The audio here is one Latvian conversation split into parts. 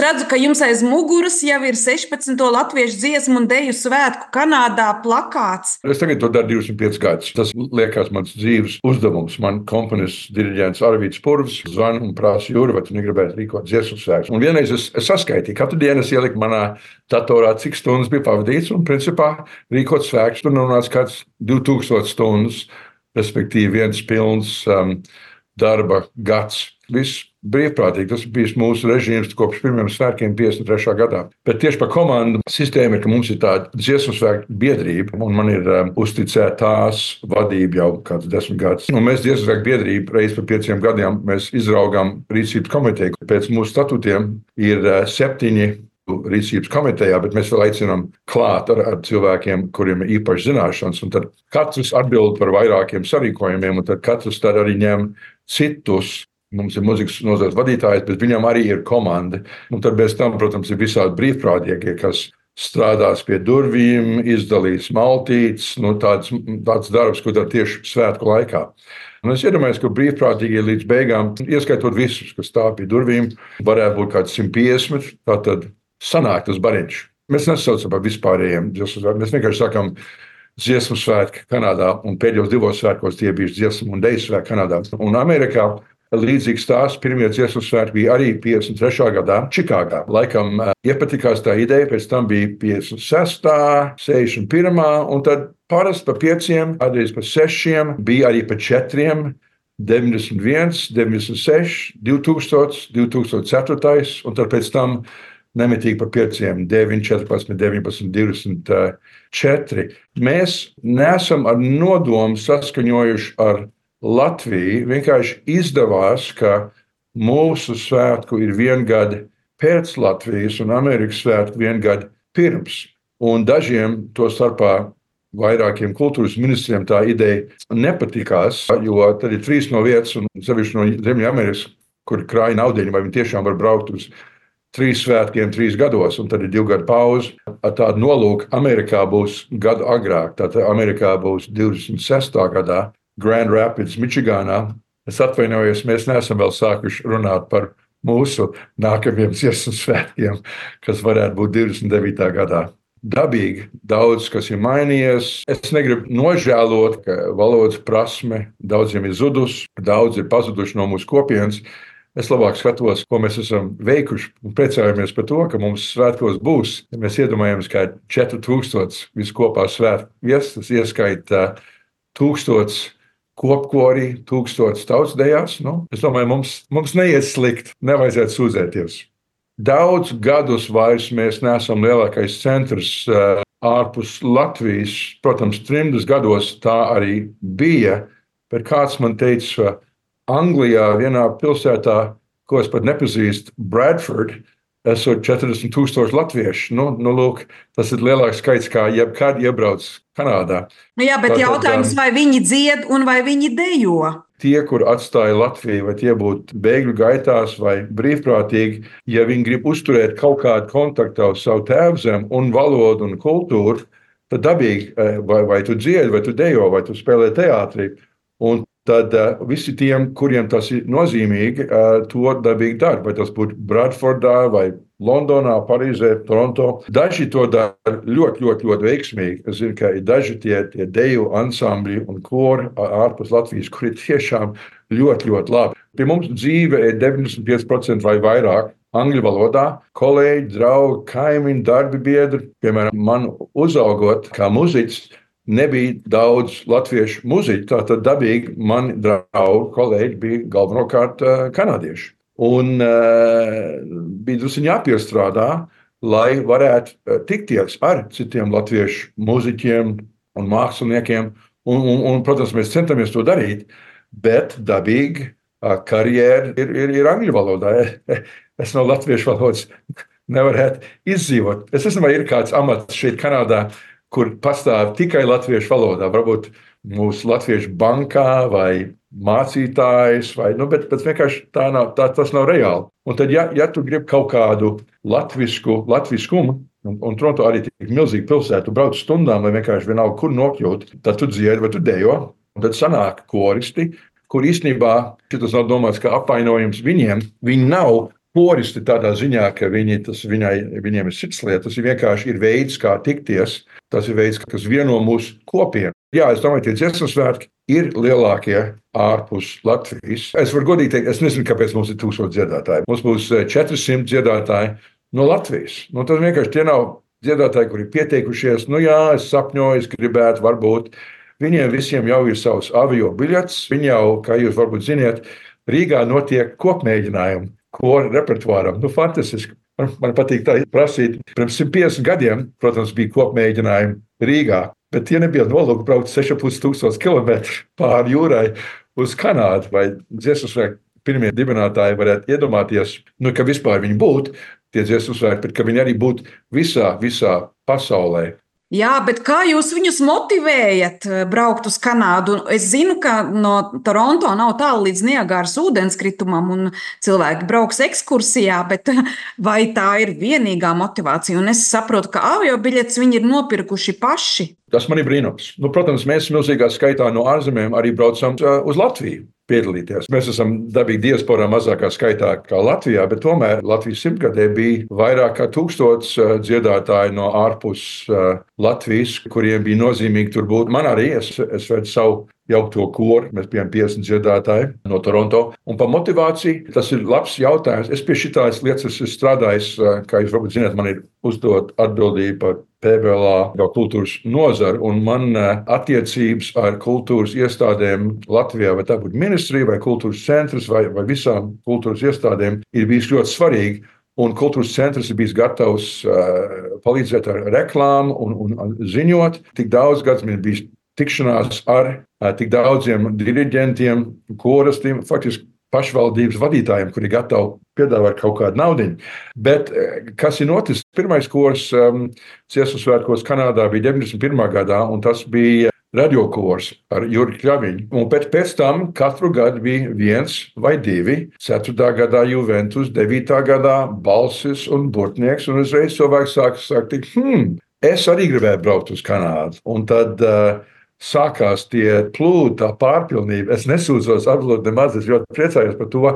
Redzu, ka jums aiz muguras jau ir 16. latviešu dziesmu un deju svētku Kanādā plakāts. Es tagad to daru 25 gadus. Tas liekas mans dzīves uzdevums. Man komponists diriģents Arvīds Purvs zvana un prasa, Jūri, vai tu negribētu rīkot dziesmu svētkus. Un vienreiz es saskaitīju, katru dienu es ieliku manā datorā, cik stundas bija pavadīts, un principā rīkot svētkus. Tur nonāca kāds 2000 stundas, respektīvi viens pilns darba gads. Viss brīvprātīgi. Tas bija mūsu režīms kopš pirmiem svētkiem 53. gadā. Bet tieši par komandu sistēmu ir, ka mums ir tāda dziesmu svētku biedrība, un man ir uzticēta tās vadība jau kāds 10 gadus. Un mēs dziesmu svētku biedrību reiz par 5 gadiem mēs izraugām rīcības komiteju. Pēc mūsu statūtiem ir 7 rīcības komitejā, bet mēs vēl aicinām klāt ar cilvēkiem, kuriem ir īpaši zināšanas. Un tad katrs atbild par vairākiem sarīkojumiem, un tad katrs tad arī ņem citus. Mums ir mūzikas nozares vadītājs, bet viņam arī ir komanda. Un tad bez tam, protams, ir visādi brīvprātīgie, kas strādās pie durvīm, izdalīs maltītes, tāds darbs, ko dara tieši svētku laikā. Un es iedomājos, ka brīvprātīgie līdz beigām, ieskaitot visus, kas stāv pie durvīm, varētu būt kāds 150, tātad sanāk tas bariņš. Mēs nesaucam par vispārējiem dziesmu svētkiem, mēs vienkārši sakam dziesmu svētki Kanādā, un pēdējos 2 svētkos tie bijuši dziesmu un deju svētki Kanādā. Un Amerikā līdzīgs stāsts pirmie dziesmu svētki bija arī 53. gadā Čikāgā. Laikam iepatikās tā ideja, pēc tam bija 56., 61., un tad parasti pa 5, kādreiz pa 6, bija arī pa 4, 91, 96, 2000, 2004, un tad pēc tam nemitīgi pa 5, 9, 14, 19, 24. Mēs neesam ar nodomu saskaņojuši ar Latviju. Vienkārši izdevās, ka mūsu svētku ir 1 gadu pēc Latvijas un Amerikas svētku 1 gadu pirms. Un dažiem, to starpā vairākiem kultūras ministriem, tā ideja nepatikās, jo tad ir 3 no vietas, un sevišķi no Ziemeļamerikas, kur krāja naudiņu, vai viņi tiešām var braukt uz 3 svētkiem 3 gados, un tad ir 2 gadu pauze. Ar tādu nolūku Amerikā būs gadu agrāk. Tātad Amerikā būs 26. gadā. Grand Rapids, Mičigānā. Es atvainojos, mēs neesam vēl sākuši runāt par mūsu nākamajiem dziesmu svētkiem, kas varētu būt 29. gadā. Dabīgi daudz, kas ir mainījies. Es negribu nožēlot, ka valodas prasme daudziem ir zudus, daudz ir pazuduši no mūsu kopienas. Es labāk skatos, ko mēs esam veikuši, un priecājamies par to, ka mums svētkos būs. Ja mēs iedomājamies, ka 4000 viskopā svētku viesas, tas ieskaita 1000 kopkorī, 1000 tautsdejās. Es domāju, mums neiet slikti, nevajadzētu sūdzēties. Daudz gadus vairs mēs neesam lielākais centrs ārpus Latvijas. Protams, 30 gados tā arī bija, bet kāds man teica, Anglijā vienā pilsētā, ko es pat nepazīstu, Bradford, esot 40,000 latviešu. Lūk, tas ir lielāks skaits, kā jebkad iebrauc Kanādā. Jā, bet jautājums, vai viņi dzied un vai viņi dejo? Tie, kur atstāja Latviju, vai tie būtu bēgļu gaitās vai brīvprātīgi, ja viņi grib uzturēt kaut kādu kontaktu uz savu tēvzemi un valodu un kultūru, tad dabīgi, vai tu dziedi, vai tu dejo, vai tu spēlē teātrī. Un tad visi tiem, kuriem tas ir nozīmīgi, to dabīgi dara. Vai tas būtu Bradfordā, vai Londonā, Parīzē, Toronto. Daži to dara ļoti, ļoti, ļoti veiksmīgi. Es zinu, ka ir daži tie deju ansambļi un kori ārpus Latvijas, kuri tiešām ļoti, ļoti labi. Pie mums dzīve ir 95% vai vairāk angļu valodā. Kolēģi, draugi, kaimiņi, darbi biedri. Piemēram, man uzaugot kā muziķis, nebija daudz latviešu muziķu, tātad dabīgi mani draugi, kolēģi bija galvenokārt kanādieši. Un bija drusku jāpiestrādā, lai varētu tikties ar citiem latviešu muziķiem un māksliniekiem. Un, protams, mēs centamies to darīt, bet dabīgi karjera ir angļu valodā. Es no latviešu valodas nevarētu izdzīvot. Es nezinu, vai ir kāds amats šeit Kanādā, kur pastāv tikai latviešu valodā. Varbūt mūsu latviešu bankā vai mācītājs, bet vienkārši tas nav reāli. Un tad, ja tu gribi kaut kādu latviskumu, un Toronto arī tik milzīga pilsēta, tu brauc stundām, vai vienkārši vienalga, kur nokļūt, tad tu dziedi vai tu dejo, un tad sanāk koristi, kur īstenībā, šitas nav domāts kā apvainojums viņiem, viņi nav poristi tādā ziņā, ka viņiem ir cits lietas. Tas vienkārši ir veids, kā tikties. Tas ir veids, kas vieno mūsu kopienu. Jā, es domāju, tie dziesmu svētki ir lielākie ārpus Latvijas. Es varu godīgi teikt, es nezinu, kāpēc mums ir 1000 dziedātāji. Mums būs 400 dziedātāji no Latvijas. Tas vienkārši tie nav dziedātāji, kuri ir pieteikušies. Jā, es sapņoju, es gribētu, varbūt. Viņiem visiem jau ir savs avio biļets. Viņi jau, kā jūs varbūt ziniet, Rīgā notiek kopmēģinājumi koru repertuāram. Fantastiski. Man patīk tā prasīt. Pirms 150 gadiem, protams, bija kopmēģinājumi Rīgā, bet tie nebija nolūki braukt 6500 km pāri jūrai uz Kanādu. Vai dziesmu svētku pirmie dibinātāji varētu iedomāties, ka vispār viņi būtu tie dziesmu svētki, bet ka viņi arī būtu visā pasaulē. Jā, bet kā jūs viņus motivējat braukt uz Kanādu? Es zinu, ka no Toronto nav tālu līdz Niagāras ūdenskritumam, un cilvēki brauks ekskursijā, bet vai tā ir vienīgā motivācija? Un es saprotu, ka aviobiļetes viņi ir nopirkuši paši. Tas man ir brīnums. Protams, mēs milzīgā skaitā no ārzemēm arī braucam uz Latviju piedalīties. Mēs esam dabīgi diasporā mazākā skaitā kā Latvijā, bet tomēr Latvijas simtgadē bija vairāk kā 1000 dziedātāji no ārpus Latvijas, kuriem bija nozīmīgi tur būt. Man arī, es vedu savu jaukto koru, mēs bijām 50 dziedātāji no Toronto. Un par motivāciju, tas ir labs jautājums. Es pie šitās lietas esmu strādājis, kā jūs varbūt zināt, man ir uzdot atbildību par PBLA jau kultūras nozaru, un man attiecības ar kultūras iestādēm Latvijā, vai tā būtu ministrija, vai kultūras centrs, vai visām kultūras iestādēm, ir bijis ļoti svarīgi. Un kultūras centrs ir bijis gatavs palīdzēt ar reklāmu un ziņot. Tik daudz gadus man ir bijis tikšanās ar tik daudziem diriģentiem, koristiem, faktiski pašvaldības vadītājiem, kuri gatavi piedāvāt kaut kādu naudiņu. Bet kas ir noticis? Pirmais kors dziesmu svētkos Kanādā bija 91. gadā, un tas bija radiokors ar Juri Kļaviņu. Un pēc tam katru gadu bija 1 vai 2. 4. gadā Juventus, 9. gadā Balsis un Burtnieks, un uzreiz cilvēks sāk teikt, es arī gribēju braukt uz Kanādu. Un tad sākās tie plūdi, tā pārpilnība. Es nesūdzos absolūti nemaz, es ļoti priecājos par to.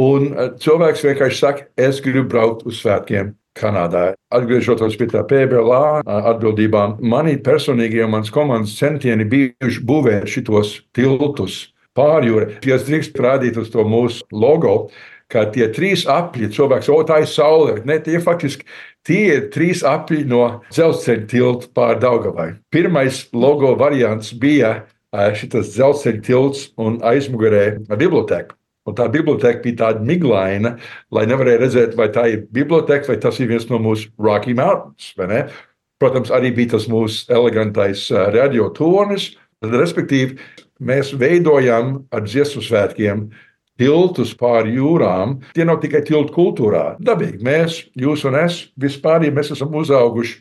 Un cilvēks vienkārši saka, es gribu braukt uz svētkiem Kanādā. Atgriežoties pie tā PBLA atbildībām, manī personīgi jau mans komandas centieni bijuši būvēt šitos tiltus pāri jūrai. Ja es drīkst rādīt uz to mūsu logo, ka tie 3 apļi, cilvēks, tā ir saule. Ne, tie faktiski tie ir 3 apļi no dzelzceļa tilta pāri Daugavai. Pirmais logo variants bija šitas dzelzceļa tilts un aizmugurē biblioteka. Un tā biblioteka bija tāda miglaina, lai nevarēja redzēt, vai tā ir biblioteka, vai tas ir viens no mūsu Rocky Mountains. Vai ne? Protams, arī bija tas mūsu elegantais radiotornis. Respektīvi, mēs veidojam ar dziesmu svētkiem tiltus pāri jūrām. Tie nav tikai tiltu kultūrā. Dabīgi, mēs, jūs un es, vispār mēs esam uzauguši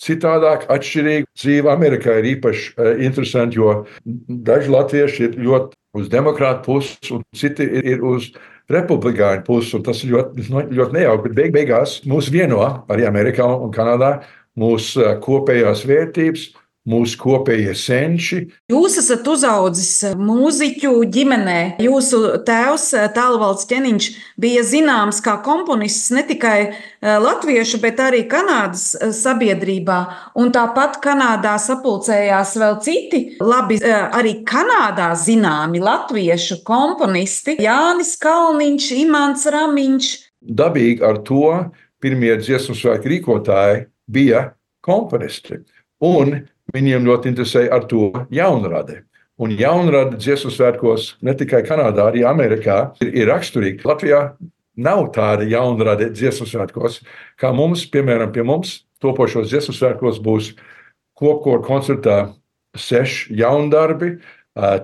citādāk, atšķirīgi. Dzīve Amerikā ir īpaši interesanti, jo daži latvieši ir ļoti uz demokrātu pusi, un citi ir uz republikāņu pusi, un tas ir ļoti nejauki. Bet beigās mūs vieno arī Amerikā un Kanādā mūsu kopējās vērtības, mūsu kopējie senči. Jūs esat uzaudzis mūziķu ģimenē. Jūsu tēvs, Tālvalds Ķeniņš, bija zināms kā komponists ne tikai latviešu, bet arī Kanādas sabiedrībā. Un tāpat Kanādā sapulcējās vēl citi labi arī Kanādā zināmi latviešu komponisti. Jānis Kalniņš, Imants Ramiņš. Dabīgi ar to pirmie dziesmu svētku rīkotāji bija komponisti. Un viņiem ļoti interesēja ar to jaunrade. Un jaunrade dziesmu svētkos ne tikai Kanādā, arī Amerikā ir raksturīgi. Latvijā nav tāda jaunrade dziesmu svētkos, kā mums, piemēram, pie mums topošos dziesmu svētkos būs kopkoru koncertā 6 jaundarbi,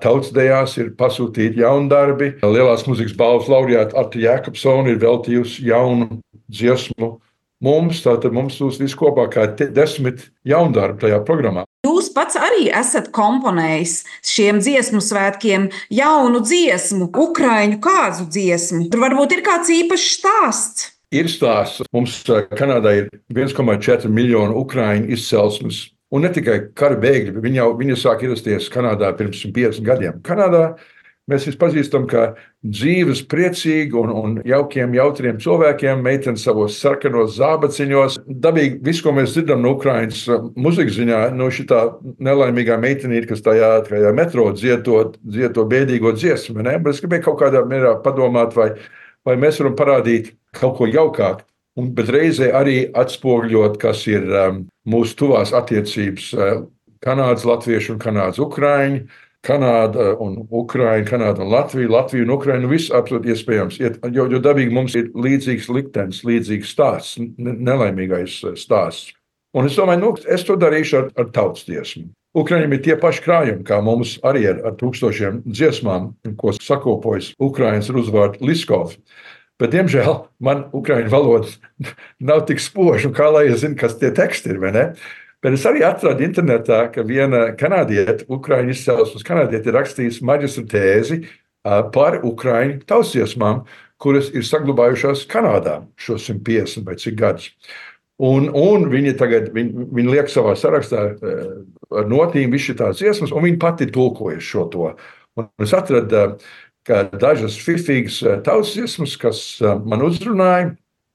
tautsdejās ir pasūtīti jaundarbi. Lielās mūzikas balvas laureāta Arta Jēkabsona ir veltījusi jaunu dziesmu mums, tātad mums būs viss kopā kā 10 jaundarbi tajā programmā. Jūs pats arī esat komponējis šiem dziesmu svētkiem jaunu dziesmu, ukraiņu kāzu dziesmu. Tur varbūt ir kāds īpašs stāsts. Ir stāsts. Mums Kanādā ir 1,4 miljonu ukraiņu izcelsmes. Un ne tikai kara bēgļi, bet viņi sāk ierasties Kanādā pirms 50 gadiem. Kanādā Mēs viņus pazīstam kā dzīves, priecīgi un jaukiem, jautriem cilvēkiem, meitenes savos sarkanos zābaciņos. Dabīgi viss, ko mēs dzirdam no Ukrainas muzikas ziņā, no šitā nelaimīgā meitenīte, kas tajā metro dzied to bēdīgo dziesmu. Ne? Bet es gribēju kaut kādā mērā padomāt, vai mēs varam parādīt kaut ko jaukāku. Bet reizē arī atspoguļot, kas ir mūsu tuvās attiecības Kanādas latvieši un Kanādas ukraiņi, Kanāda un Ukraina, Kanāda un Latvija, Latvija un Ukraina, viss absolūti iespējams. Jo dabīgi mums ir līdzīgs liktenis, līdzīgs stāsts, nelaimīgais stāsts. Un es domāju, es to darīšu ar tautas dziesmu. Ukraiņiem ir tie paši krājumi, kā mums arī ar tūkstošiem dziesmām, ko sakopojas Ukrainas ar uzvārdu Liskovs. Bet, diemžēl, man ukraiņu valoda nav tik spoža, kā lai es zinu, kas tie teksti ir, vai ne? Bet es arī atradu internetā, ka viena kanādiete, ukraiņu izcelsmes kanādiete, ir rakstījusi maģistra tēzi par ukraiņu tautsdziesmām, kuras ir saglabājušās Kanādā šos 150 vai cik gadus. Un viņi tagad viņi liek savā sarakstā ar notīm visu tās dziesmas, un viņi pati tulkojas šo to. Un es atradu kā dažas fifīgas tautsdziesmas, kas man uzrunāja,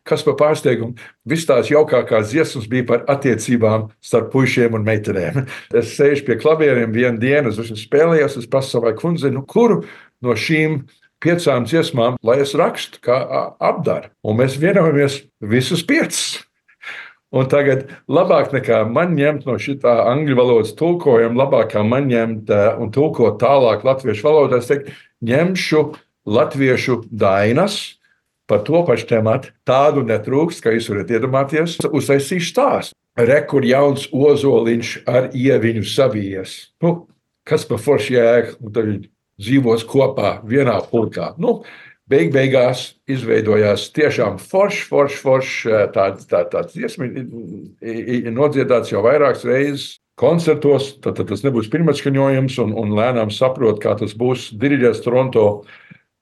kas par pārsteigumu. Viss tās jaukākās dziesmas bija par attiecībām starp puišiem un meitenēm. Es sēžu pie klavieriem vienu dienu, es spēlējos, es prasu savai kundzei, kuru no šīm 5 dziesmām, lai es rakstu, kā apdaru. Un mēs vienojamies visus 5. Un tagad labāk nekā man ņemt no šitā angļu valodas tulkojuma, labāk kā man ņemt un tulkot tālāk latviešu valodā, es teiktu, ņemšu latviešu dainas par to pašu tematu. Tādu netrūkst, kā jūs varat iedomāties, uztaisīšu stāstu. Rekur jauns ozoliņš ar ieviņu savijies. Kas par foršu jēga, un tad viņi dzīvos kopā vienā pulkā. Beigās izveidojās tiešām foršs tāds dziesma, ir nodziedāts jau vairākas reizes koncertos, tad tas nebūs pirmatskaņojums, un lēnām saprot, kā tas būs. Diriģēs Toronto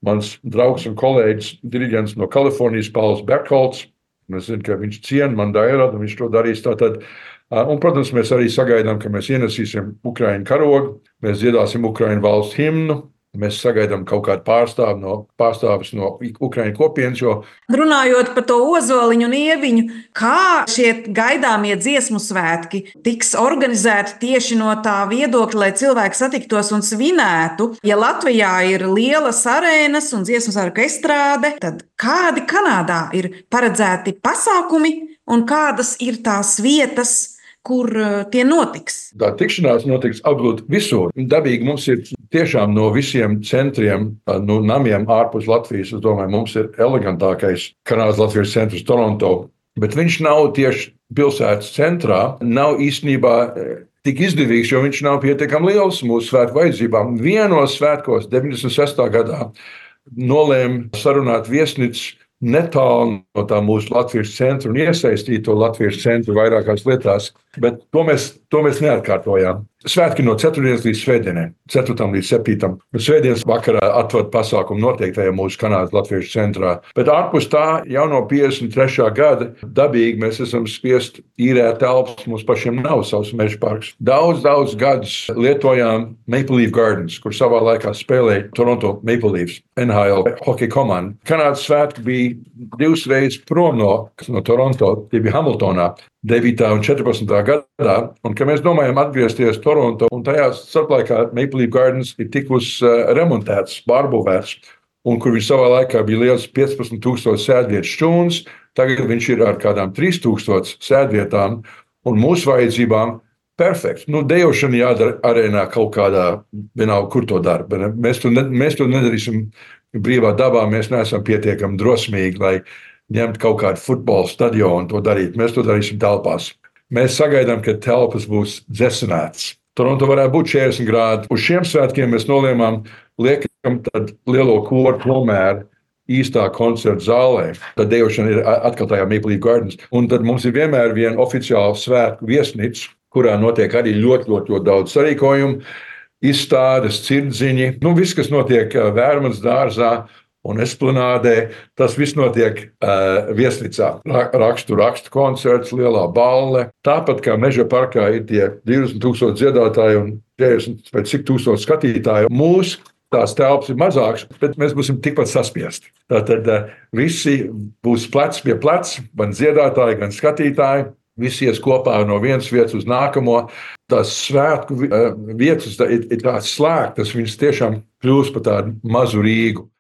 mans draugs un kolēģis, diriģents no Kalifornijas, Pauls Berkholts. Es zinu, ka viņš ciena man dairadu, un viņš to darīs tātad. Un, protams, mēs arī sagaidām, ka mēs ienesīsim Ukraiņu karogu, mēs dziedāsim Ukraiņu valsts himnu. Mēs sagaidām kaut kādu pārstāvis no Ukraiņu kopienas. Runājot par to ozoliņu un ieviņu, kā šie gaidāmie dziesmu svētki tiks organizēti tieši no tā viedokļa, lai cilvēki satiktos un svinētu. Ja Latvijā ir lielas arēnas un dziesmu svētku estrāde, tad kādi Kanādā ir paredzēti pasākumi un kādas ir tās vietas, kur tie notiks? Tā tikšanās notiks absolūti visur. Dabīgi mums ir tiešām no visiem centriem, no namiem ārpus Latvijas, es domāju, mums ir elegantākais Kanādas Latvijas centrs Toronto, bet viņš nav tieši pilsētas centrā, nav īstenībā tik izdevīgs, jo viņš nav pietiekami liels mūsu svētku vajadzībām. Vienos svētkos 96. gadā nolēma sarunāt viesnīcu netālu no tā mūsu Latvijas centra un iesaistīt to Latvijas centru vairākās lietās, bet to mēs neatkārtojām. Svētki no 4. līdz svētdienai, 4. līdz 7. Svētdienas vakarā atvad pasākumu noteiktajā mūsu Kanādas Latviešu centrā. Bet ārpus tā jau no 53. gada dabīgi mēs esam spiest īrēt telpas, mums pašiem nav savs meža parks. Daudz gadus lietojām Maple Leaf Gardens, kur savā laikā spēlēja Toronto Maple Leafs, NHL hokeja komanda. Kanādas svētki bija 2 reizes prom no Toronto, tie bija Hamiltonā. 9. un 14. gadā, un ka mēs domājam atgriezties Toronto, un tajā starplaikā Maple Leaf Gardens ir tikus remontēts, pārbūvēts, un kur viņš savā laikā bija liels 15,000 sēdvietu šķūns, tagad viņš ir ar kādām 3,000 sēdvietām, un mūsu vajadzībām perfekts. Dejošana jādara arēnā kaut kādā, vienalga, kur to dara. Mēs to nedarīsim brīvā dabā, mēs neesam pietiekami drosmīgi, lai ņemt kaut kādu futbola stadionu un to darīt. Mēs to darīsim telpās. Mēs sagaidām, ka telpas būs dzesinātas. Toronto varētu būt 40 grādi. Uz šiem svētkiem mēs nolēmām liekam tad lielo koru tomēr īstā koncerta zālē. Tad dejošana ir atkal tajā Maple Leaf Gardens. Un tad mums ir vienmēr viena oficiāla svētku viesnīca, kurā notiek arī ļoti daudz sarīkojumu, izstādes, cirdziņi. Viss, kas notiek Vērmanas dārzā un esplanādē, tas viss notiek viesnīcā. Rakstu koncerts, lielā balle. Tāpat kā meža parkā ir tie 20,000 dziedātāji un 40 vai cik tūkstoši skatītāji. Mūsu tās telpas ir mazākas, bet mēs būsim tikpat saspiesti. Tātad visi būs plecs pie pleca, gan dziedātāji, gan skatītāji. Visi ies kopā no vienas vietas uz nākamo. Tās svētku vietas ir tādas slēgtas, viņas tiešām kļūst par tādu mazu Rīgu.